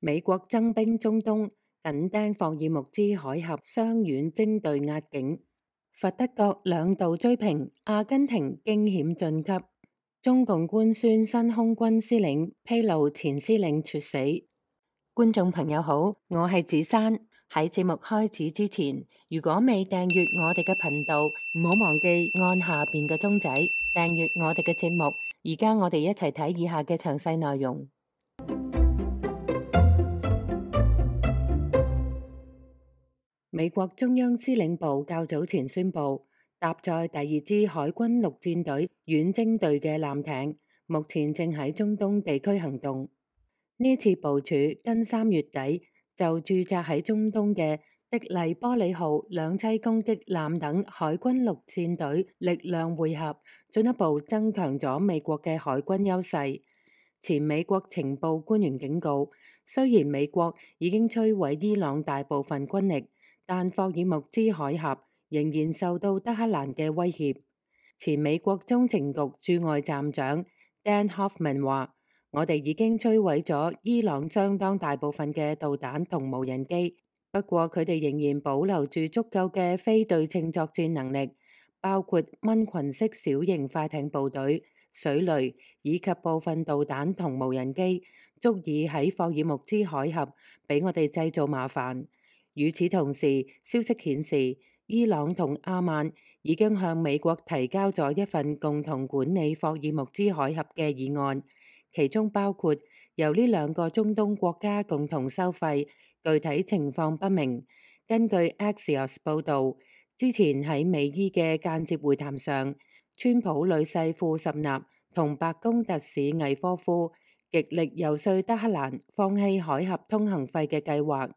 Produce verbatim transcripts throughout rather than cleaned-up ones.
美國增兵中東，緊盯霍爾木茲海峽，雙遠征隊壓境。佛得角兩度追平，阿根廷驚險晉級。中共官宣新空軍司令，披露前司令猝死。觀眾朋友好，我係子珊。喺節目開始之前，如果未訂閱我哋嘅頻道，唔好忘記按下邊嘅鐘仔訂閱我哋嘅節目。而家我哋一齊睇以下嘅詳細內容。美國中央司令部較早前宣布，搭載第二支海軍陸戰隊遠征隊嘅艦艇，目前正喺中東地區行動。呢次部署跟三月底就駐紮喺中東嘅的黎波里號兩棲攻擊艦等海軍陸戰隊力量匯合，進一步增強咗美國嘅海軍優勢。前美國情報官員警告，雖然美國已經摧毀伊朗大部分軍力，但霍爾木茲海峽仍然受到德黑蘭嘅威脅。前美國中情局駐外站長 Dan Hoffman 話：我哋已經摧毀咗伊朗相當大部分嘅導彈同無人機，不過佢哋仍然保留住足夠嘅非對稱作戰能力，包括蚊群式小型快艇部隊、水雷以及部分導彈同無人機，足以喺霍爾木茲海峽俾我哋製造麻煩。與此同時，消息顯示，伊朗同阿曼已經向美國提交咗一份共同管理霍爾木茲海峽嘅議案，其中包括由呢兩個中東國家共同收費，具體情況不明。根據 Axios 報導，之前喺美伊嘅間接會談上，川普女婿庫什納同白宮特使魏科夫極力遊說德黑蘭放棄海峽通行費嘅計劃，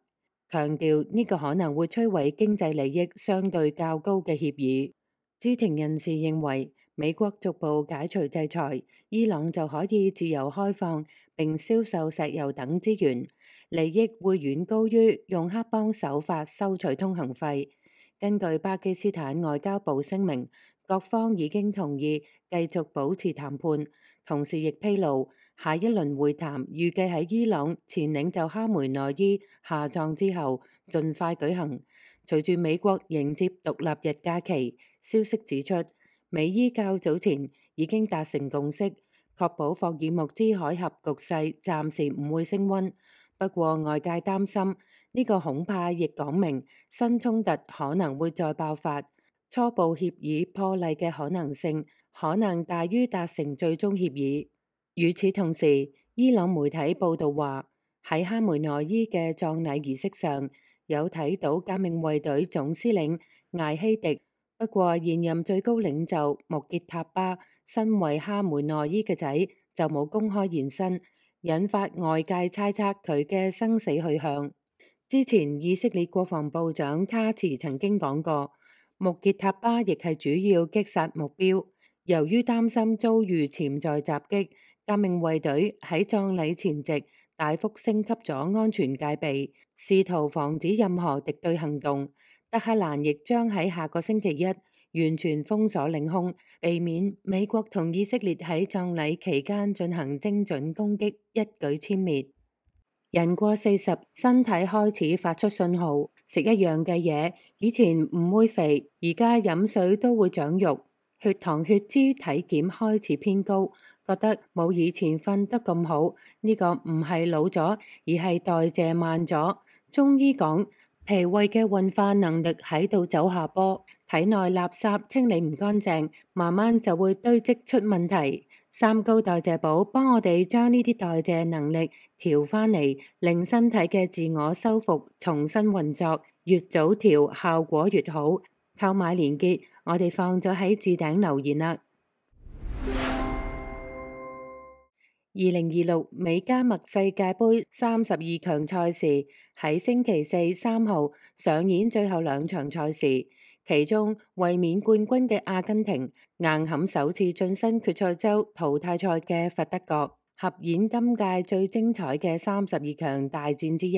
強調呢個可能會摧毀經濟利益相對較高嘅協議。知情人士認為，美國逐步解除制裁，伊朗就可以自由開放並銷售石油等資源，利益會遠高於用黑幫手法收取通行費。根據巴基斯坦外交部聲明，各方已經同意繼續保持談判，同時亦披露，下一輪會談預計喺伊朗前領袖哈梅內伊下葬之後盡快舉行。隨住美國迎接獨立日假期，消息指出，美伊較早前已經達成共識，確保霍爾木茲海峽局勢暫時唔會升溫。不過外界擔心呢個恐怕亦講明新衝突可能會再爆發，初步協議破例嘅可能性可能大於達成最終協議。與此同時，伊朗媒體報道話，喺哈梅內伊嘅葬禮儀式上，有睇到革命衛隊總司令艾希迪。不過現任最高領袖穆傑塔巴身為哈梅內伊嘅仔，就冇公開現身，引發外界猜測佢嘅生死去向。之前以色列國防部長卡茨曾經講過，穆傑塔巴亦係主要擊殺目標。由於擔心遭遇潛在襲擊，革命衛隊喺葬禮前夕大幅升級咗安全戒備，試圖防止任何敵對行動。德黑蘭亦將喺下個星期一完全封鎖領空，避免美國同以色列喺葬禮期間進行精準攻擊，一舉殲滅。人過四十，身體開始發出信號，食一樣嘅嘢，以前唔會肥，而家飲水都會長肉，血糖血脂體檢開始偏高，覺得冇以前瞓得咁好。呢個唔係老咗，而係代謝慢咗。中醫講，脾胃嘅運化能力喺度走下坡，體內垃圾清理唔乾淨，慢慢就會堆積出問題。三高代謝寶幫我哋將呢啲代謝能力調返嚟，令身體嘅自我修復重新運作，越早調效果越好。購買連結我哋放咗喺置頂留言啦。二零二六美加墨世界盃三十二強賽事喺星期四三號上演最後兩場賽事，其中衛冕冠軍嘅阿根廷硬撼首次晉身決賽周淘汰賽嘅佛得角，合演今屆最精彩嘅三十二強大戰之一。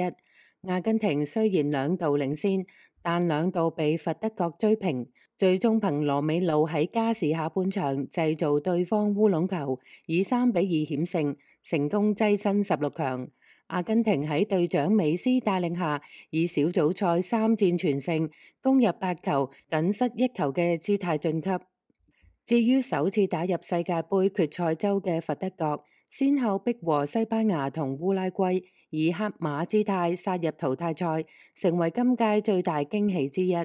阿根廷雖然兩度領先，但兩度被佛得角追平，最終憑羅美路喺加時下半場製造對方烏龍球，以三比二險勝，成功躋身十六強。阿根廷喺隊長美斯帶領下，以小組賽三戰全勝，攻入八球，僅失一球嘅姿態晉級。至於首次打入世界盃決賽周嘅佛得角，先後逼和西班牙同烏拉圭，以黑馬姿態殺入淘汰賽，成為今屆最大驚喜之一。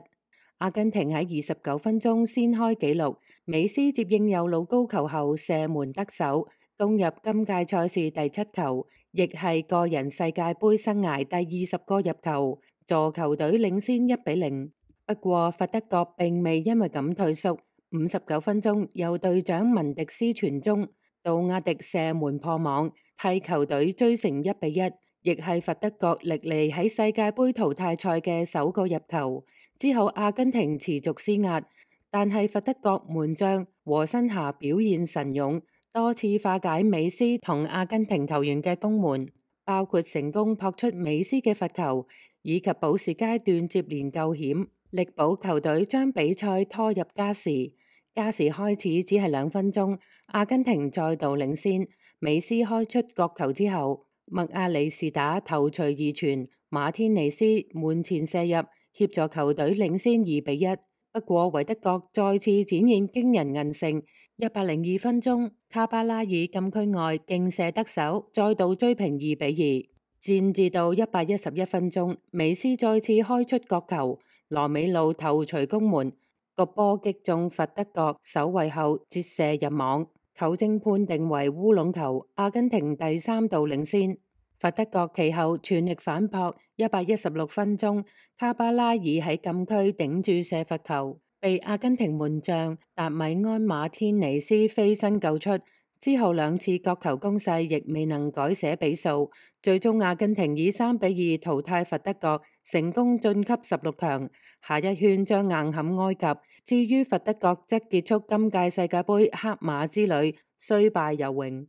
阿根廷喺二十九分鐘先開紀錄，美斯接應右路高球後射門得手，攻入今屆賽事第七球，亦係個人世界盃生涯第二十個入球，助球隊領先一比零。不過佛得角並未因為咁退縮。五十九分鐘，由隊長文迪斯傳中，杜亞迪射門破網，替球隊追成一比一，亦係佛得角歷嚟喺世界盃淘汰賽嘅首個入球。之後阿根廷持續施壓，但係佛得角門將和新霞表現神勇，多次化解美斯同阿根廷球員嘅攻門，包括成功撲出美斯嘅罰球，以及補時階段接連救險，力保球隊將比賽拖入加時。加時開始只係兩分鐘，阿根廷再度領先。美斯開出角球之後，麥亞里士打頭槌二傳，馬天尼斯門前射入，協助球隊領先二比一。不過維德角再次展現驚人韌性，一百零二分鐘，卡巴拉爾禁區外勁射得手，再度追平二比二。戰至到一百一十一分鐘，美斯再次開出角球，羅美路頭槌攻門。個波擊中佛得角守衛後折射入網，球證判定為烏龍球，阿根廷第三度領先。佛得角其後全力反撲，一百一十六分鐘，卡巴拉爾喺禁區頂住射罰球，被阿根廷門將達米安馬天尼斯飛身救出。之後兩次角球攻勢亦未能改寫比數，最終阿根廷以三比二淘汰佛得角，成功晉級十六強，下一圈將硬撼埃及。至於佛得角則結束今屆世界盃黑馬之旅，雖敗猶榮。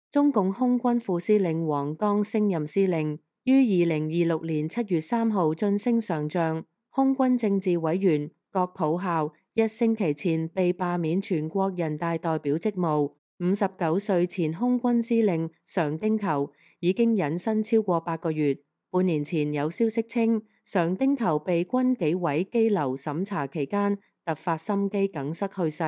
中共空軍副司令王剛升任司令，於二零二六年七月三號晉升上將。空軍政治委員郭普孝一星期前被罷免全國人大代表職務。五十九歲前空軍司令常丁球已經隱身超過八個月。半年前有消息稱，常丁球被軍紀委羈留審查期間突發心肌梗塞去世。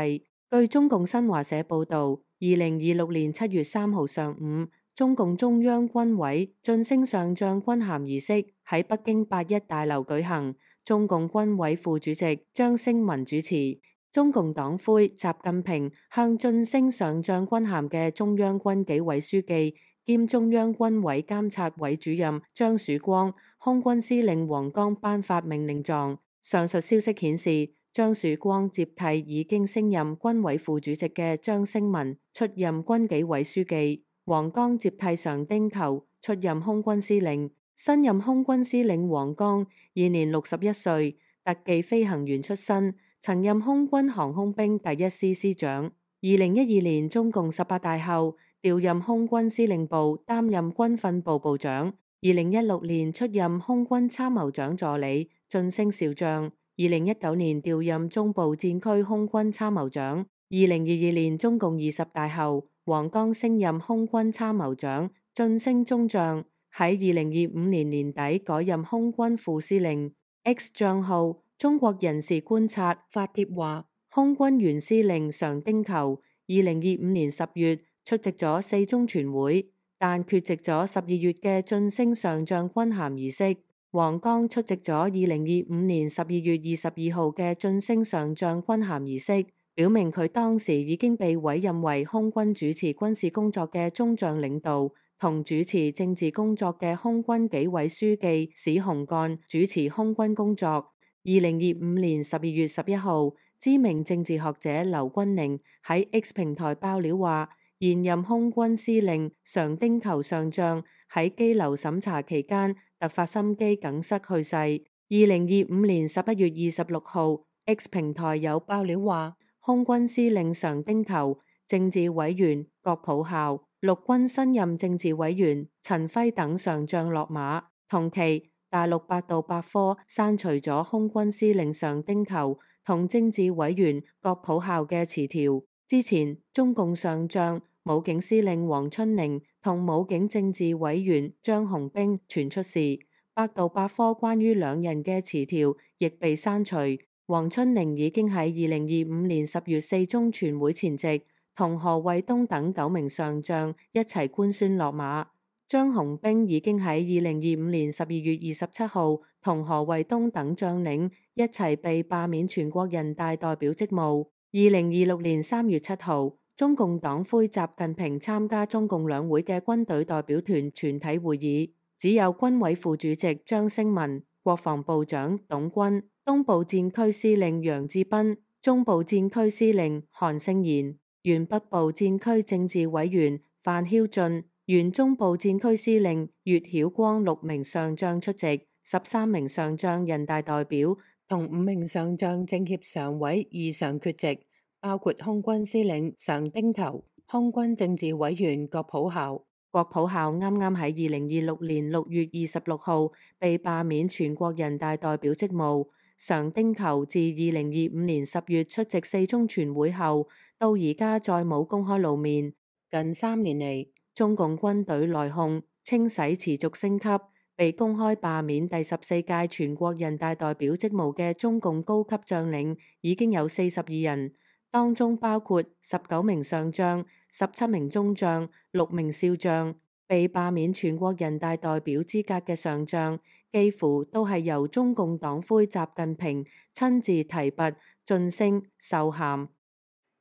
據中共新華社報道，二零二六年七月三號上午，中共中央軍委晉升上將軍銜儀式喺北京八一大樓舉行。中共軍委副主席張升文主持。中共黨魁習近平向晉升上將軍銜嘅中央軍紀委書記兼中央軍委監察委主任張曙光、空軍司令王剛頒發命令狀。上述消息顯示，張曙光接替已經升任軍委副主席嘅張升文出任軍紀委書記，王剛接替常丁球出任空軍司令。新任空軍司令王剛現年六十一歲，特技飛行員出身，曾任空軍航空兵第一師師長。二零一二年中共十八大後調任空軍司令部，擔任軍訓部部長。二零一六年出任空軍參謀長助理，晉升少將。二零一九年調任中部戰區空軍參謀長。二零二二年中共二十大後，王剛升任空軍參謀長，晉升中將。喺二零二五年年底改任空軍副司令。X 賬號中國人士觀察發帖話，空軍原司令常丁球二零二五年十月出席咗四中全會，但缺席咗十二月嘅晉升上將軍銜儀式。王剛出席咗二零二五年十二月二十二號嘅晉升上將軍銜儀式，表明佢當時已經被委任為空軍主持軍事工作嘅中將領導，同主持政治工作嘅空軍紀委書記史洪幹主持空軍工作。二零二五年十二月十一號，知名政治學者劉軍寧喺 X 平台爆料話，現任空軍司令常丁球上將喺羈留審查期間突發心肌梗塞去世。二零二五年十一月二十六號 X 平台有爆料話，空軍司令常丁球、政治委員郭普孝、陸軍新任政治委員陳輝等上將落馬。同期，大陸百度百科刪除咗空軍司令常丁球同政治委員郭普孝嘅詞條。之前，中共上將武警司令黃春寧同武警政治委員張紅兵傳出時，百度百科關於兩人嘅詞條亦被刪除。黃春寧已經喺二零二五年十月四中全會前夕，同何衛東等九名上將一齊官宣落馬。張紅兵已經喺二零二五年十二月二十七號同何衛東等將領一齊被罷免全國人大代表職務。二零二六年三月七號，中共黨魁習近平參加中共兩會嘅軍隊代表團全體會議，只有軍委副主席張升文、國防部長董軍、東部戰區司令楊志斌、中部戰區司令韓勝賢、原北部戰區政治委員范曉俊、原中部戰區司令岳曉光六名上將出席，十三名上將人大代表同五名上將政協常委異常缺席，包括空軍司令常丁球、空軍政治委員郭普校。郭普校啱啱喺二零二六年六月二十六號被罷免全國人大代表職務。常丁球自二零二五年十月出席四中全會後，到而家再冇公開露面。近三年嚟，中共軍隊內訌、清洗持續升級，被公開罷免第十四屆全國人大代表職務嘅中共高級將領已經有四十二人，當中包括十九名上將、十七名中將、六名少將。被罷免全國人大代表資格嘅上將，幾乎都係由中共黨魁習近平親自提拔、晉升、授銜。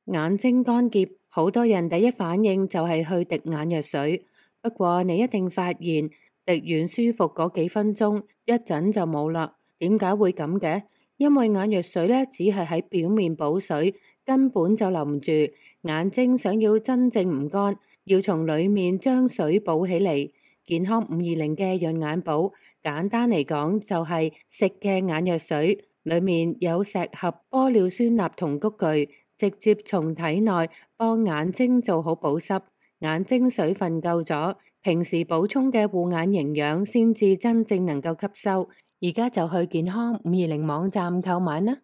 眼睛乾澀，好多人第一反應就係去滴眼藥水。不過你一定發現，滴完舒服嗰幾分鐘，一陣就冇啦。點解會咁嘅？因為眼藥水呢，只係喺表面補水，根本就淋唔住。眼睛想要真正唔乾，要從裏面將水補起嚟。健康五二零嘅潤眼寶，簡單嚟講就係食嘅眼藥水，裏面有石合玻尿酸鈉同菊苣，直接從體內幫眼睛做好保濕。眼睛水分夠咗，平時補充嘅護眼營養先至真正能夠吸收。而家就去健康五二零網站購買啦。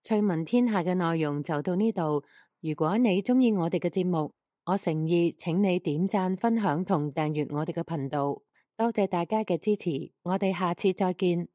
趣聞天下嘅內容就到呢度。如果你鍾意我哋嘅節目，我誠意請你點讚、分享同訂閱我哋嘅頻道。多謝大家嘅支持，我哋下次再見。